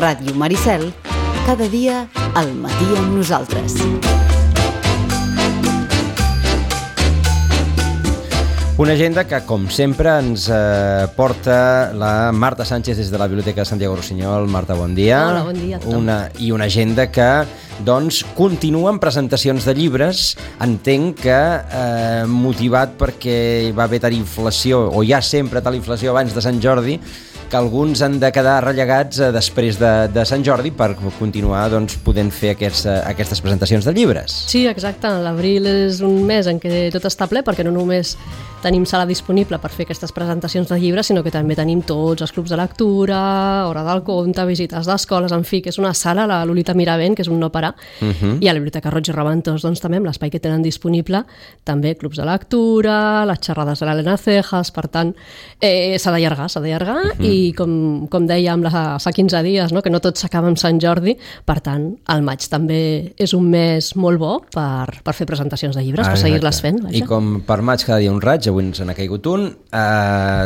Ràdio Maricel, cada dia al matí amb nosaltres. Una agenda que, com sempre, ens porta la Marta Sánchez des de la Biblioteca de Santiago Rossinyol. Marta, bon dia. Hola, bon dia a tothom. Una agenda que, doncs, continua amb presentacions de llibres. Entenc que motivat perquè va haver tal inflació, o hi ha sempre tal inflació abans de Sant Jordi, que alguns han de quedar rellegats després de Sant Jordi per continuar doncs, podent fer aquestes presentacions de llibres. Sí, exacte. L'abril és un mes en què tot està ple, perquè no només tenim sala disponible per fer aquestes presentacions de llibres, sinó que també tenim tots els clubs de lectura, hora del conte, visites d'escoles, en fi, que és una sala, la Lolita Miravent, que és un no parar, i a la Biblioteca Roig i Reventós, doncs també amb l'espai que tenen disponible, també clubs de lectura, les xerrades de l'Helena Cejas, per tant, s'ha d'allargar, i com dèiem fa 15 dies, no? Que no tot s'acaba amb Sant Jordi, per tant, el maig també és un mes molt bo per fer presentacions de llibres, per seguir-les fent. Vaja. I com per maig cada dia un raig, avui ens n'ha caigut un,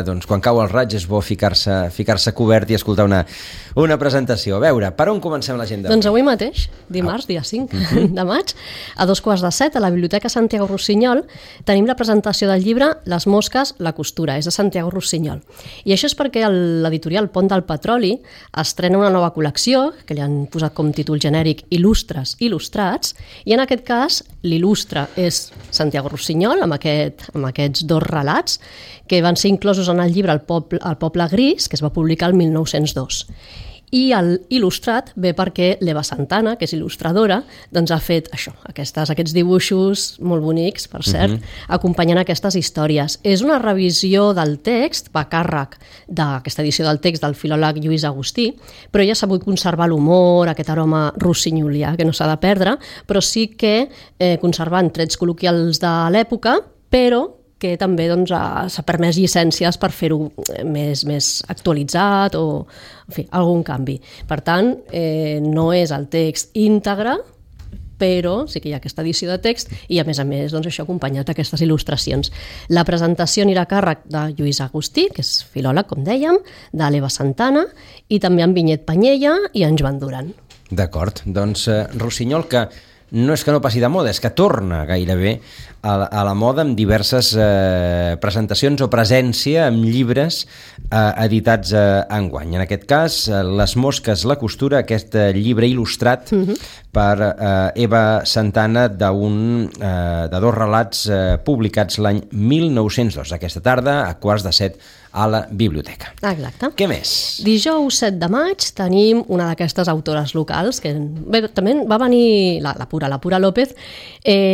doncs quan cau el raig és bo ficar-se cobert i escoltar una presentació. A veure, per on comencem l'agenda? Doncs avui mateix, dimarts, dia 5 de maig, a 6:45, a la Biblioteca Santiago Rossinyol, tenim la presentació del llibre Les mosques, la costura, és de Santiago Rossinyol. I això és perquè l'editorial Pont del Petroli estrena una nova col·lecció, que li han posat com títol genèric Il·lustres il·lustrats, i en aquest cas l'il·lustre és Santiago Rossinyol, amb aquests dos relats que van ser inclosos en el llibre El poble gris, que es va publicar el 1902. I l'il·lustrat ve perquè l'Eva Santana, que és il·lustradora, doncs ha fet aquests dibuixos molt bonics, per cert, acompanyant aquestes històries. És una revisió del text, va a càrrec d'aquesta edició del text del filòleg Lluís Agustí, però ella ha sabut conservar l'humor, aquest aroma rossinyolià que no s'ha de perdre, però sí que conservant trets col·loquials de l'època, però que també s'ha permès llicències per fer-ho més actualitzat o, en fi, algun canvi. Per tant, no és el text íntegre, però sí que hi ha aquesta edició de text i, a més, doncs, això acompanyat d'aquestes il·lustracions. La presentació anirà a càrrec de Lluís Agustí, que és filòleg, com dèiem, de l'Eva Santana, i també en Vinyet Panyella i en Joan Duran. D'acord, doncs Rossinyol, que no és que no passi de moda, és que torna gairebé a la moda amb diverses presentacions o presència amb llibres editats enguany. En aquest cas, Les mosques, la costura, aquest llibre il·lustrat per Eva Santana de dos relats publicats l'any 1902. Aquesta tarda, a 6:45, a la biblioteca. Exacte. Què més? Dijous 7 de maig tenim una d'aquestes autores locals que també va venir, la Pura López,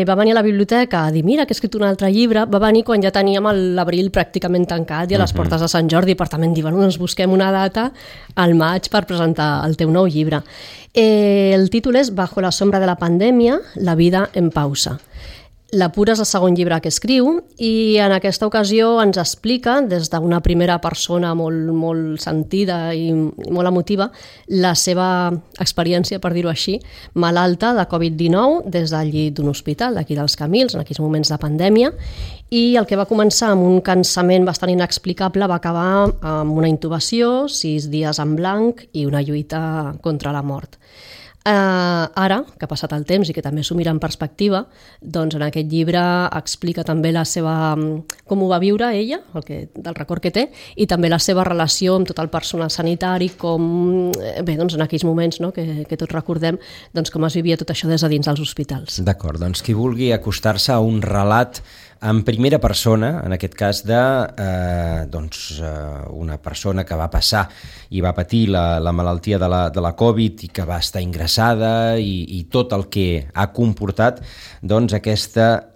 va venir a la biblioteca a dir, mira, que he escrit un altre llibre. Va venir quan ja teníem l'abril pràcticament tancat i a les portes de Sant Jordi, per tant, diuen, ens busquem una data al maig per presentar el teu nou llibre. El títol és Bajo la sombra de la pandèmia, la vida en pausa. La Pura és el segon llibre que escriu i en aquesta ocasió ens explica des d'una primera persona molt sentida i molt emotiva la seva experiència, per dir-ho així, malalta de Covid-19 des del llit d'un hospital d'aquí dels Camils, en aquells moments de pandèmia, i el que va començar amb un cansament bastant inexplicable va acabar amb una intubació, 6 dies en blanc i una lluita contra la mort. Ara, que ha passat el temps i que també s'ho mira en perspectiva, doncs en aquest llibre explica també com ho va viure ella, del record que té, i també la seva relació amb tot el personal sanitari, doncs en aquells moments, no, que tots recordem, doncs com es vivia tot això des de dins dels hospitals. D'acord, doncs qui vulgui acostar-se a un relat en primera persona, en aquest cas una persona que va passar i va patir la malaltia de la Covid i que va estar ingressada i tot el que ha comportat, doncs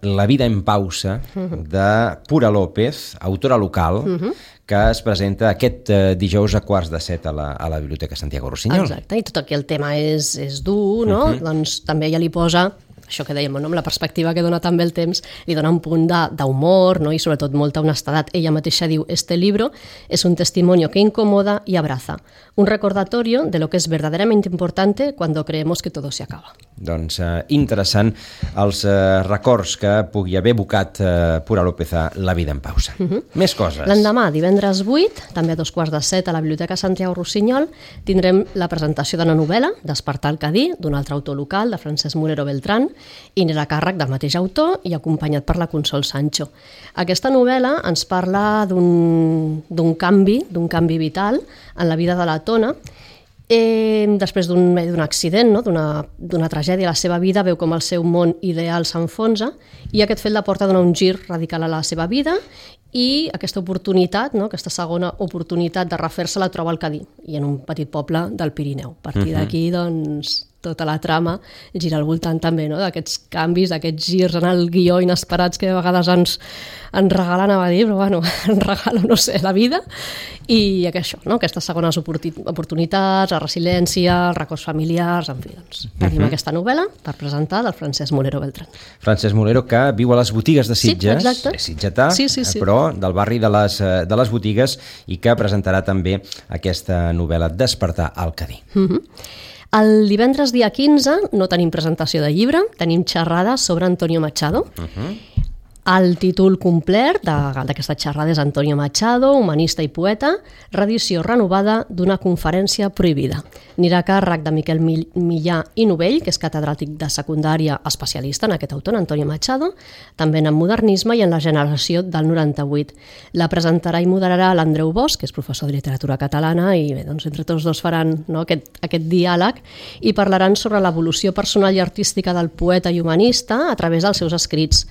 La vida en pausa de Pura López, autora local, que es presenta aquest dijous a 6:45 a la Biblioteca Santiago Rossinyol. Exacte, i tot aquí el tema és dur, no? Doncs també ella li posa això que dèiem, no? Amb la perspectiva que dona també el temps, li dona un punt d'humor, no? I sobretot molta honestedat. Ella mateixa diu, este libro es un testimonio que incomoda y abraza, un recordatorio de lo que es verdaderamente importante cuando creemos que todo se acaba. Doncs interessant els records que pugui haver evocat Pura López a La vida en pausa. Més coses. L'endemà, divendres 8, també a 2:15, a la Biblioteca Santiago Rossinyol, tindrem la presentació d'una novel·la, Despertar al Cadí, d'un altre autor local, de Francesc Molero Beltrán, i n'era a càrrec del mateix autor i acompanyat per la Consol Sancho. Aquesta novel·la ens parla d'un canvi vital en la vida de la Tona. Després d'un accident, no? d'una tragèdia a la seva vida, veu com el seu món ideal s'enfonsa i aquest fet la porta a donar un gir radical a la seva vida i aquesta oportunitat, no? Aquesta segona oportunitat de refer-se la troba al Cadí i en un petit poble del Pirineu. A partir d'aquí, doncs, tota la trama gira al voltant també, no? D'aquests canvis, d'aquests girs en el guió inesperats que a vegades ens regalen, a dir, però bueno, ens regalen, no sé, la vida, i això, no? Aquestes segones oportunitats, la resiliència, els records familiars, en fi, doncs, tenim aquesta novel·la per presentar del Francesc Molero Beltrán. Francesc Molero, que viu a les botigues de Sitges, és sitgetà, sí. però del barri de les botigues, i que presentarà també aquesta novel·la Despertar al Cadí. El divendres dia 15 no tenim presentació de llibre, tenim xerrada sobre Antonio Machado. El títol complet d'aquesta xerrada és Antonio Machado, humanista i poeta, reedició renovada d'una conferència prohibida. Anirà a càrrec de Miquel Millà i Novell, que és catedràtic de secundària especialista en aquest autor, Antonio Machado, també en modernisme i en la generació del 98. La presentarà i moderarà l'Andreu Bosch, que és professor de literatura catalana, i bé, doncs, entre tots dos faran, no, aquest diàleg i parlaran sobre l'evolució personal i artística del poeta i humanista a través dels seus escrits.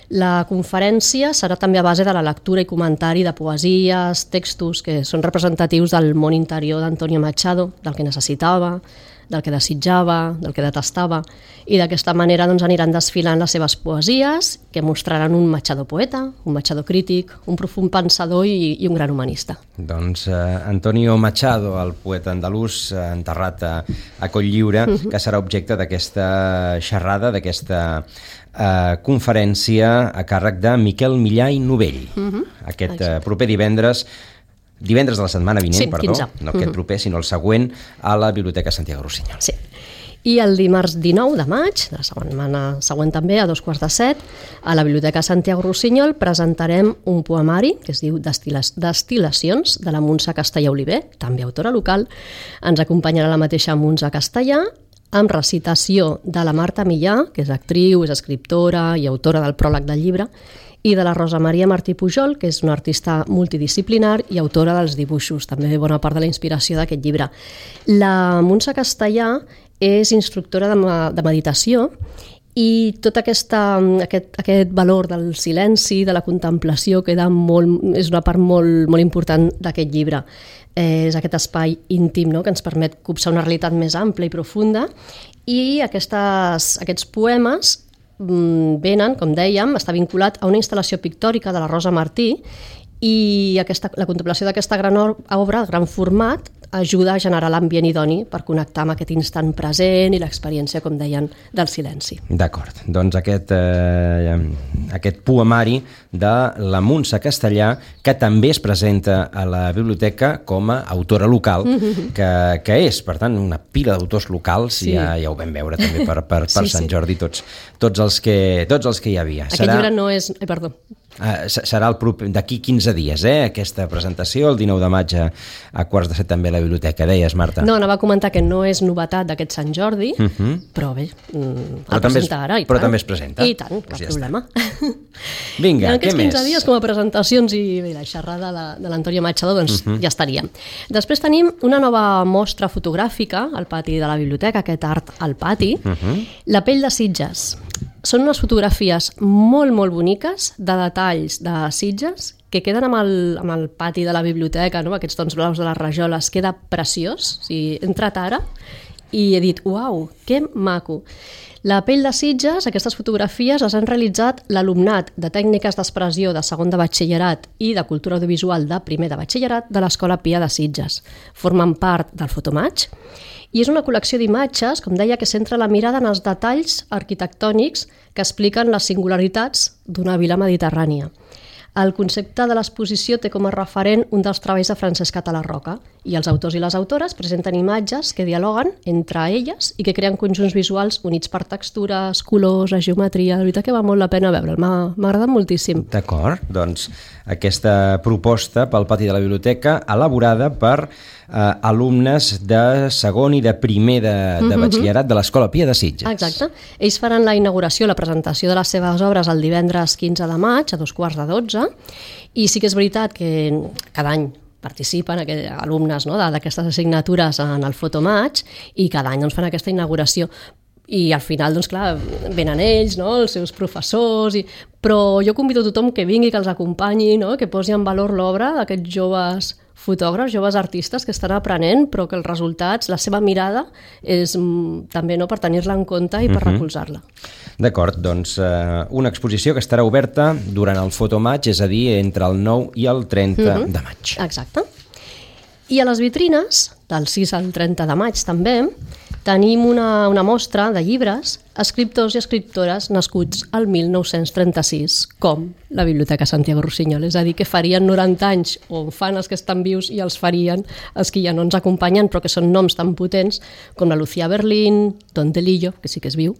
La conferència serà també a base de la lectura i comentari de poesies, textos que són representatius del món interior d'Antonio Machado, del que necessitava, del que desitjava, del que detestava, i d'aquesta manera doncs, aniran desfilant les seves poesies que mostraran un Machado poeta, un Machado crític, un profund pensador i un gran humanista. Doncs Antonio Machado, el poeta andalús enterrat a Cotlliure, que serà objecte d'aquesta xerrada, d'aquesta conferència a càrrec de Miquel Millà i Novell. Aquest proper divendres de la setmana vinent, perdó, 15. No aquest proper, sinó el següent, a la Biblioteca Santiago Rossinyol. Sí. I el dimarts 19 de maig, de la setmana següent també, a 2:15, a la Biblioteca Santiago Rossinyol presentarem un poemari que es diu Destil·lacions, de la Montse Castellà Oliver, també autora local. Ens acompanyarà la mateixa Montse Castellà, amb recitació de la Marta Millà, que és actriu, és escriptora i autora del pròleg del llibre, i de la Rosa Maria Martí Pujol, que és una artista multidisciplinar i autora dels dibuixos, també bona part de la inspiració d'aquest llibre. La Montse Castellà és instructora de meditació i tot aquest valor del silenci, de la contemplació, és una part molt important d'aquest llibre. És aquest espai íntim, no?, que ens permet copsar una realitat més ampla i profunda, i aquests poemes venen, com dèiem, està vinculat a una instal·lació pictòrica de la Rosa Martí, i la contemplació d'aquesta gran obra, gran format, ajuda a generar l'ambient idoni per connectar amb aquest instant present i l'experiència, com deien, del silenci. D'acord, doncs aquest poemari de la Montse Castellà, que també es presenta a la biblioteca com a autora local, que és, per tant, una pila d'autors locals, sí. Ja ho vam veure també per Sant Jordi, tots els que hi havia. Aquest llibre no és... Perdó. Serà d'aquí 15 dies, aquesta presentació, el 19 de maig a 6:15 també a la biblioteca, deies, Marta? No, anava a comentar que no és novetat d'aquest Sant Jordi, però bé, el presenta ara. Però també es presenta. I tant, cap problema. Vinga, què més? Aquests 15 dies com a presentacions i la xerrada de l'Antonio Machado, doncs ja estaria. Després tenim una nova mostra fotogràfica al pati de la biblioteca, aquest art al pati, La pell de Sitges. Són unes fotografies molt, molt boniques de detalls de Sitges que queden amb el pati de la biblioteca, no? Aquests tons blaus de les rajoles, queda preciós. O sigui, he entrat ara i he dit, uau, que maco. La pell de Sitges, aquestes fotografies les han realitzat l'alumnat de tècniques d'expressió de segon de batxillerat i de cultura audiovisual de primer de batxillerat de l'Escola Pia de Sitges. Formen part del Fotomatx i és una col·lecció d'imatges, com deia, que centra la mirada en els detalls arquitectònics que expliquen les singularitats d'una vila mediterrània. El concepte de l'exposició té com a referent un dels treballs de Francesc Català Roca i els autors i les autores presenten imatges que dialoguen entre elles i que creen conjunts visuals units per textures, colors, geometria. La veritat que val molt la pena veure'l, m'ha agradat moltíssim. D'acord, doncs aquesta proposta pel pati de la biblioteca elaborada per alumnes de segon i de primer de batxillerat de l'Escola Pia de Sitges. Exacte. Ells faran la inauguració, la presentació de les seves obres el divendres 15 de maig a 2:15 i sí que és veritat que cada any participen alumnes, no, d'aquestes assignatures en el Fotomatx i cada any doncs, fan aquesta inauguració. I al final, doncs clar, venen ells, no, els seus professors, però jo convido a tothom que vingui, que els acompanyi, no, que posi en valor l'obra d'aquests joves fotògrafs, joves artistes que estan aprenent, però que els resultats, la seva mirada, és també no, per tenir-la en compte i per recolzar-la. D'acord, doncs una exposició que estarà oberta durant el Fotomatx, és a dir, entre el 9 i el 30 de maig. Exacte. I a les vitrines, del 6 al 30 de maig també, tenim una mostra de llibres, escriptors i escriptores nascuts al 1936, com la Biblioteca Santiago Rossinyol. És a dir, que farien 90 anys, o fan els que estan vius i els farien els que ja no ens acompanyen, però que són noms tan potents com la Lucía Berlín, Don Delillo, que sí que és viu,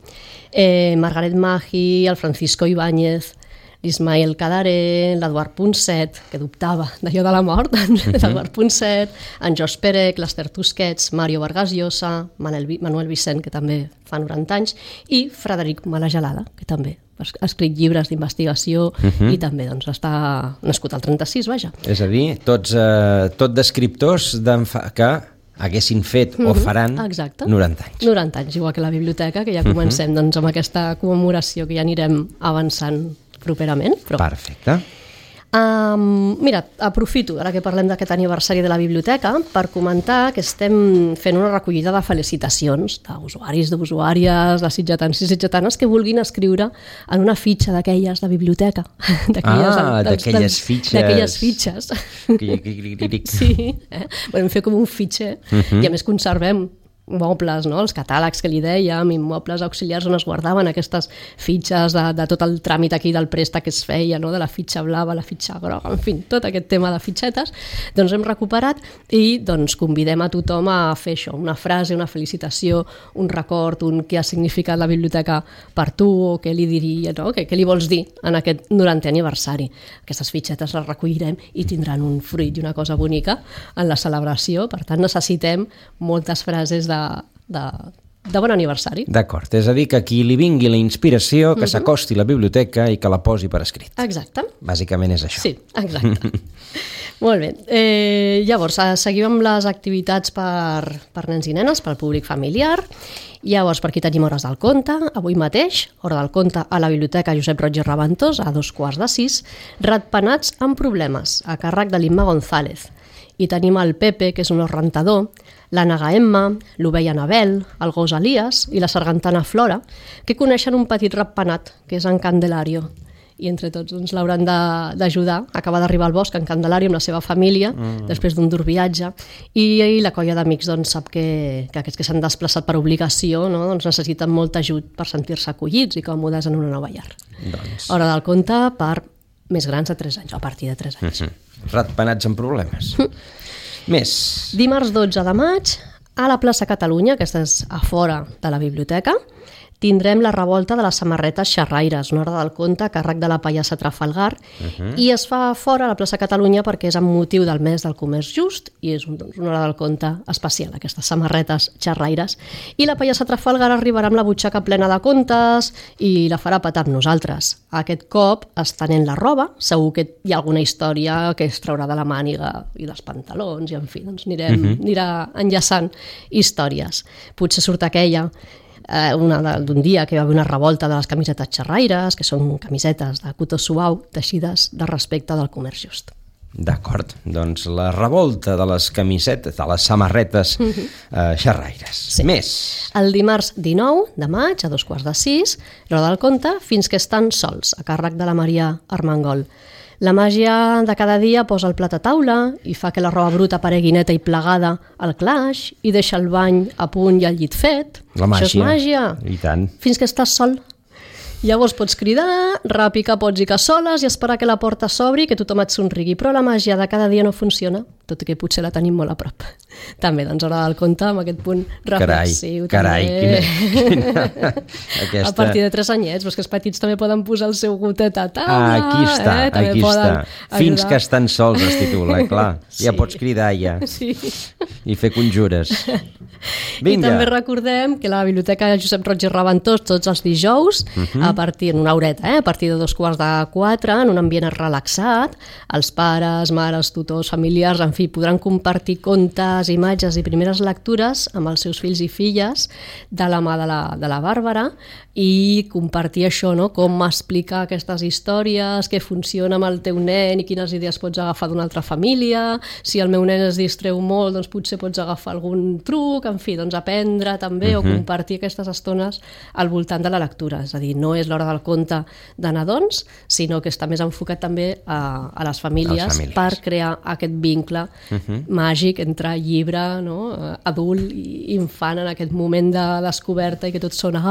Margaret Maggi, el Francisco Ibáñez, l'Ismael Cadaré, l'Eduard Ponset, que dubtava d'allò de la mort, l'Eduard Ponset, en George Perec, l'Ester Tusquets, Mario Vargas Llosa, Manuel Vicent, que també fa 90 anys, i Frederic Malagelada, que també ha escrit llibres d'investigació i també doncs, està nascut al 36, vaja. És a dir, tot d'escriptors que haguessin fet o faran 90 anys. 90 anys, igual que la biblioteca, que ja comencem doncs, amb aquesta commemoració que ja anirem avançant properament. Però... Perfecte. Mira, aprofito, ara que parlem d'aquest aniversari de la biblioteca, per comentar que estem fent una recollida de felicitacions d'usuaris, d'usuàries, de sitgetans i sitgetanes que vulguin escriure en una fitxa d'aquelles de biblioteca. D'aquelles fitxes. D'aquelles fitxes. Sí, vam fer com un fitxer i a més conservem mobles, no? Els catàlegs que li dèiem, immobles auxiliars on es guardaven aquestes fitxes de tot el tràmit aquí del préstec que es feia, no? De la fitxa blava, la fitxa groga, en fi, tot aquest tema de fitxetes, doncs hem recuperat i doncs convidem a tothom a fer això, una frase, una felicitació, un record, què ha significat la biblioteca per tu o què li diria, no? Què li vols dir en aquest 90è aniversari. Aquestes fitxetes les recollirem i tindran un fruit i una cosa bonica en la celebració, per tant necessitem moltes frases de bon aniversari. D'acord, és a dir, que qui li vingui la inspiració, que s'acosti a la biblioteca i que la posi per escrit. Exacte. Bàsicament és això. Sí, exacte. Molt bé. Llavors, seguim amb les activitats per nens i nenes, pel públic familiar. Llavors, per aquí tenim Hores del Conte. Avui mateix, Hora del Conte a la Biblioteca Josep Roig i Raventós, a 5:15, Ratpenats amb problemes, a càrrec de l'Imma González. I tenim el Pepe, que és un os rentador, la Naga Emma, l'ovella Anabel, el gos Elias i la sargantana Flora, que coneixen un petit ratpenat, que és en Candelario. I entre tots doncs, l'hauran d'ajudar. Acaba d'arribar al bosc en Candelario amb la seva família, després d'un dur viatge, i la colla d'amics doncs, sap que aquests que s'han desplaçat per obligació, no? Doncs necessiten molt ajut per sentir-se acollits i còmodes en una nova llar. Hora del Conte per més grans de 3 anys, a partir de 3 anys. Ratpenats amb problemes. Més. Dimarts 12 de maig, a la plaça Catalunya, aquesta és a fora de la biblioteca, tindrem la revolta de les samarretes xerraires, una hora del conte a càrrec de la pallassa Trafalgar, i es fa fora a la plaça Catalunya perquè és amb motiu del mes del comerç just i és una hora del conte especial, aquestes samarretes xerraires. I la pallassa Trafalgar arribarà amb la butxaca plena de contes i la farà petar amb nosaltres. Aquest cop, estenent la roba, segur que hi ha alguna història que es traurà de la màniga i dels pantalons, i en fi, doncs anirà enllaçant històries. Potser surt aquella d'un dia que hi va haver una revolta de les camisetes xerraires, que són camisetes de cotó suau, teixides de respecte del comerç just. D'acord, doncs la revolta de les camisetes, de les samarretes xerraires. Sí. Més. El dimarts 19 de maig, a 5:45, l'hora del conte, fins que estan sols, a càrrec de la Maria Armengol. La màgia de cada dia posa el plat a taula i fa que la roba bruta aparegui neta i plegada al claix i deixa el bany a punt i el llit fet. La màgia. Això és màgia. I tant. Fins que estàs sol. Llavors pots cridar, repicar pots i cassoles i esperar que la porta s'obri i que tothom et somrigui, però la màgia de cada dia no funciona, tot i que potser la tenim molt a prop. També, doncs, hora del conte, amb aquest punt reflexiu. Carai, quina... A partir de 3 anyets, però que els petits també poden posar el seu gotet a taula. Aquí està, aquí està. Fins que estan sols es titula, clar. Sí. Ja pots cridar, ja. Sí. I fer conjures. Vinga. I també recordem que la Biblioteca Josep Roig i Raventós tots els dijous, a partir d'una horeta, a partir de 3:45, en un ambient relaxat, els pares, mares, tutors, familiars, en fi, podran compartir contes, imatges i primeres lectures amb els seus fills i filles de la mà de la Bàrbara i compartir això, no? Com explicar aquestes històries, què funciona amb el teu nen i quines idees pots agafar d'una altra família, si el meu nen es distreu molt, doncs potser pots agafar algun truc, en fi, doncs aprendre també o compartir aquestes estones al voltant de la lectura. És a dir, no és l'hora del conte de nadons, sinó que està més enfocat també a les famílies per crear aquest vincle màgic entre llibre, no? Adult i infant en aquest moment de descoberta i que tot sona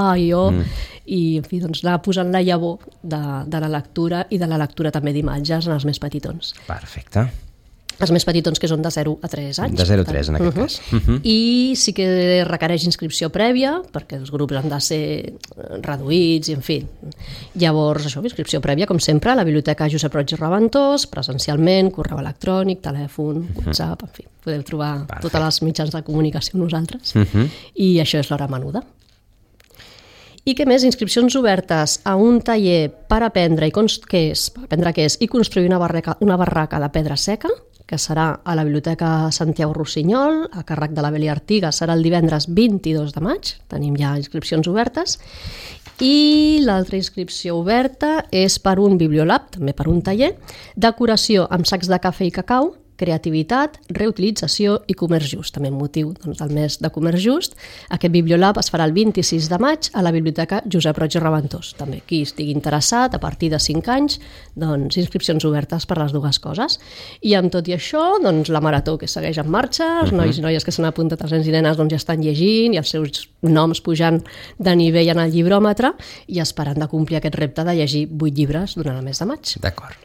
i en fi, doncs anar posant la llavor de la lectura i de la lectura també d'imatges en els més petitons. Perfecte. Els més petitons que són de 0 a 3 anys. De 0 a 3 en aquest cas. I sí que requereix inscripció prèvia, perquè els grups han de ser reduïts i en fi. Llavors, això, inscripció prèvia, com sempre, a la Biblioteca Josep Roig i Raventós, presencialment, correu electrònic, telèfon, WhatsApp, en fi. Podeu trobar totes les mitjans de comunicació amb nosaltres. I això és l'hora menuda. I què més? Inscripcions obertes a un taller per aprendre què és i construir una barraca de pedra seca, que serà a la Biblioteca Santiago Rossinyol, a càrrec de la Beli Artiga, serà el divendres 22 de maig, tenim ja inscripcions obertes, i l'altra inscripció oberta és per un bibliolab, també per un taller, decoració amb sacs de cafè i cacau, creativitat, reutilització i comerç just, també amb motiu del mes de comerç just. Aquest bibliolab es farà el 26 de maig a la Biblioteca Josep Roig i Raventós. També qui estigui interessat, a partir de 5 anys, doncs inscripcions obertes per les dues coses. I amb tot i això, doncs la marató que segueix en marxa, els nois i noies que s'han apuntat, els nens i nenes, doncs ja estan llegint i els seus noms pujant de nivell en el llibròmetre i esperant de complir aquest repte de llegir 8 llibres durant el mes de maig. D'acord.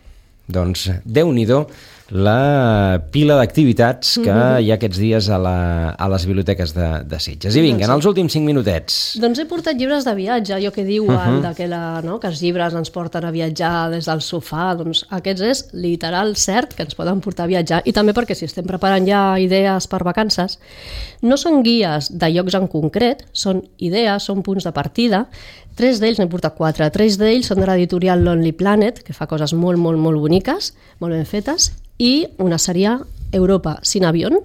Doncs Déu-n'hi-do la pila d'activitats que hi ha aquests dies a les biblioteques de Sitges. I vinga, en els últims 5 minutets. Doncs he portat llibres de viatge, allò que diuen que els llibres ens porten a viatjar des del sofà, doncs aquests és literal cert que ens poden portar a viatjar, i també perquè si estem preparant ja idees per vacances, no són guies de llocs en concret, són idees, són punts de partida. 3 d'ells, n'he portat 4, 3 d'ells són de l'editorial Lonely Planet, que fa coses molt, molt, molt boniques, molt ben fetes, i una seria Europa sin avión,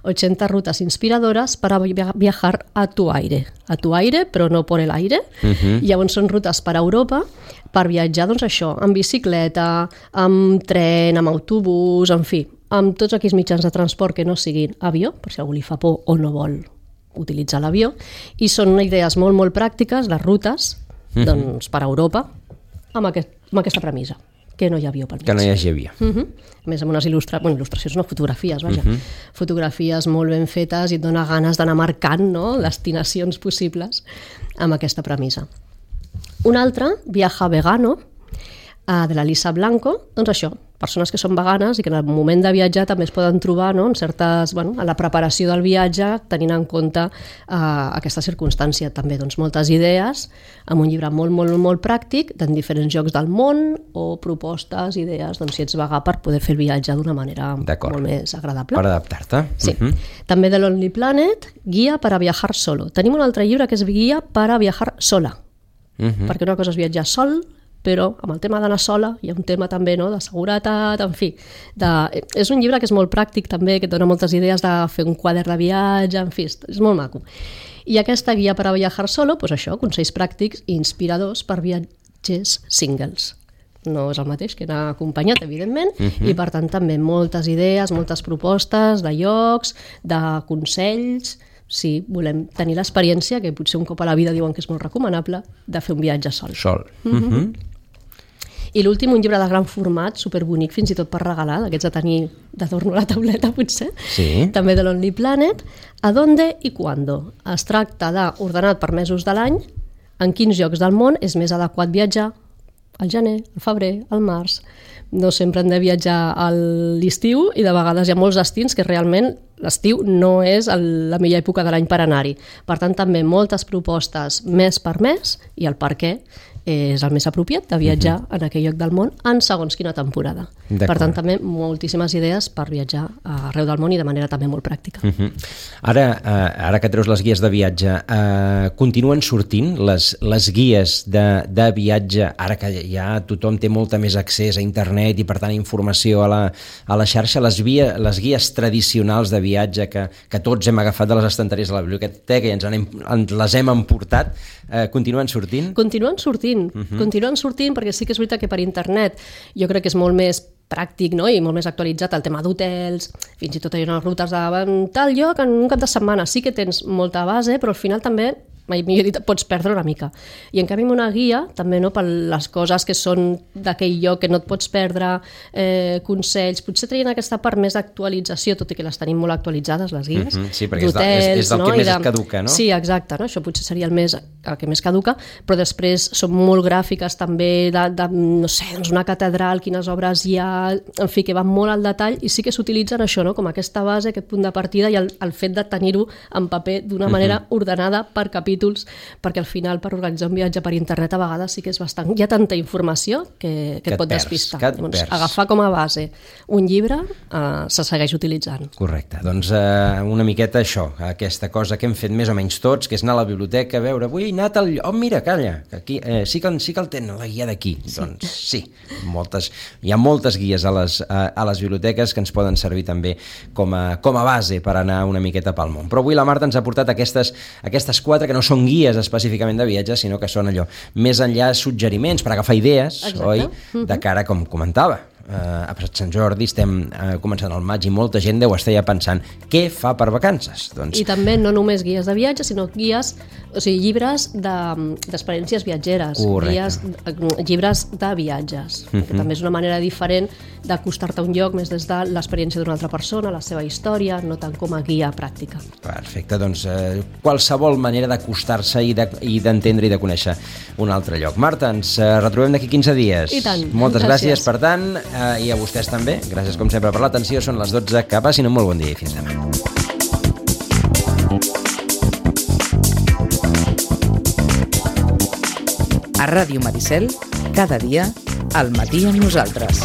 80 rutas inspiradoras para viajar a tu aire, però no por el aire. Llavors són rutes per Europa per viatjar, doncs això, amb bicicleta, amb tren, amb autobús, en fi, amb tots aquells mitjans de transport que no siguin avió, per si algú li fa por o no vol utilitzar l'avió, i són idees molt, molt pràctiques, les rutes, doncs, per Europa, amb aquesta premissa, que no hi ha avió pel mig. Que no hi hagi avió. A més, amb unes il·lustracions, no, fotografies, vaja. Fotografies molt ben fetes i et dona ganes d'anar marcant, no?, destinacions possibles amb aquesta premissa. Un altre, Viaja Vegano, de la Lisa Blanco, doncs això, persones que són veganes i que en el moment de viatjar també es poden trobar, no?, en certes, a la preparació del viatge, tenint en compte aquesta circumstància. També doncs, moltes idees, amb un llibre molt, molt, molt pràctic, en diferents llocs del món, o propostes, idees, doncs, si ets vegà, per poder fer el viatge d'una manera molt més agradable. Per adaptar-te. Sí. També de Lonely Planet, Guia para viajar solo. Tenim un altre llibre que és Guia para viajar sola, perquè una cosa és viatjar sol, però amb el tema d'anar sola hi ha un tema també, no?, de seguretat, en fi. És un llibre que és molt pràctic també, que et dona moltes idees de fer un quadern de viatge, en fi, és molt maco. I aquesta guia per a viajar solo, doncs això, consells pràctics i inspiradors per viatgers singles. no és el mateix que anar acompanyat, evidentment, i per tant també moltes idees, moltes propostes de llocs, de consells. Sí, volem tenir l'experiència, que potser un cop a la vida diuen que és molt recomanable, de fer un viatge sol. I l'últim, un llibre de gran format, superbonic, fins i tot per regalar, d'aquests de tenir d'adorno a la tauleta, potser, també de Lonely Planet, a donde i cuándo. Es tracta d'ordenat per mesos de l'any, en quins llocs del món és més adequat viatjar, al gener, al febrer, al març. No sempre hem de viatjar a l'estiu i de vegades hi ha molts destins que realment l'estiu no és la millor època de l'any per anar-hi. Per tant, també moltes propostes mes per mes i el per què és el més apropiat de viatjar en aquell lloc del món en segons quina temporada. Per tant, també moltíssimes idees per viatjar arreu del món i de manera també molt pràctica. Ara que treus les guies de viatge, continuen sortint les guies de viatge, ara que ja tothom té molta més accés a internet i per tant informació a la xarxa, les guies tradicionals de viatge que tots hem agafat de les estanteries de la biblioteca i les hem emportat, continuen sortint? Continuen sortint perquè sí que és veritat que per internet jo crec que és molt més pràctic, no? I molt més actualitzat el tema d'hotels, fins i tot hi ha unes rutes de tal lloc en un cap de setmana. Sí que tens molta base, però al final també, millor dit, pots perdre una mica. I en canvi amb una guia, també per les coses que són d'aquell lloc que no et pots perdre, consells, potser traient aquesta part més d'actualització, tot i que les tenim molt actualitzades, les guies. Sí, perquè és del que més es caduca, no? Sí, exacte, no? Això potser seria el que més caduca, però després són molt gràfiques també no sé, una catedral, quines obres hi ha, en fi, que van molt al detall i sí que s'utilitzen això, no? Com aquesta base, aquest punt de partida i el fet de tenir-ho en paper d'una manera ordenada per capítols, perquè al final per organitzar un viatge per internet a vegades sí que és bastant... Hi ha tanta informació que et pot despistar. Agafar com a base un llibre se segueix utilitzant. Correcte, doncs una miqueta això, aquesta cosa que hem fet més o menys tots, que és anar a la biblioteca a veure, avui he anat al... Oh, mira, calla, que aquí sí que el tenen, la guia d'aquí. Doncs sí, hi ha moltes guies a les biblioteques que ens poden servir també com a base per anar una miqueta pel món. Però avui la Marta ens ha portat aquestes 4 que no són guies específicament de viatge, sinó que són allò, més enllà suggeriments per agafar idees, oi? De cara, com comentava, a Sant Jordi estem començant el maig i molta gent deu estar ja pensant què fa per vacances. I també no només guies de viatge, sinó guies, o sigui, llibres d'experiències viatgeres, llibres de viatges, que també és una manera diferent d'acostar-te a un lloc més des de l'experiència d'una altra persona, la seva història, no tant com a guia pràctica. Perfecte, doncs qualsevol manera d'acostar-se i d'entendre i de conèixer un altre lloc. Marta, ens retrobem d'aquí 15 dies. I tant. Moltes gràcies, per tant, i a vostès també. Gràcies, com sempre, per l'atenció. Són les 12. Que passin un molt bon dia i fins demà. A Ràdio Maricel, cada dia, al matí amb nosaltres.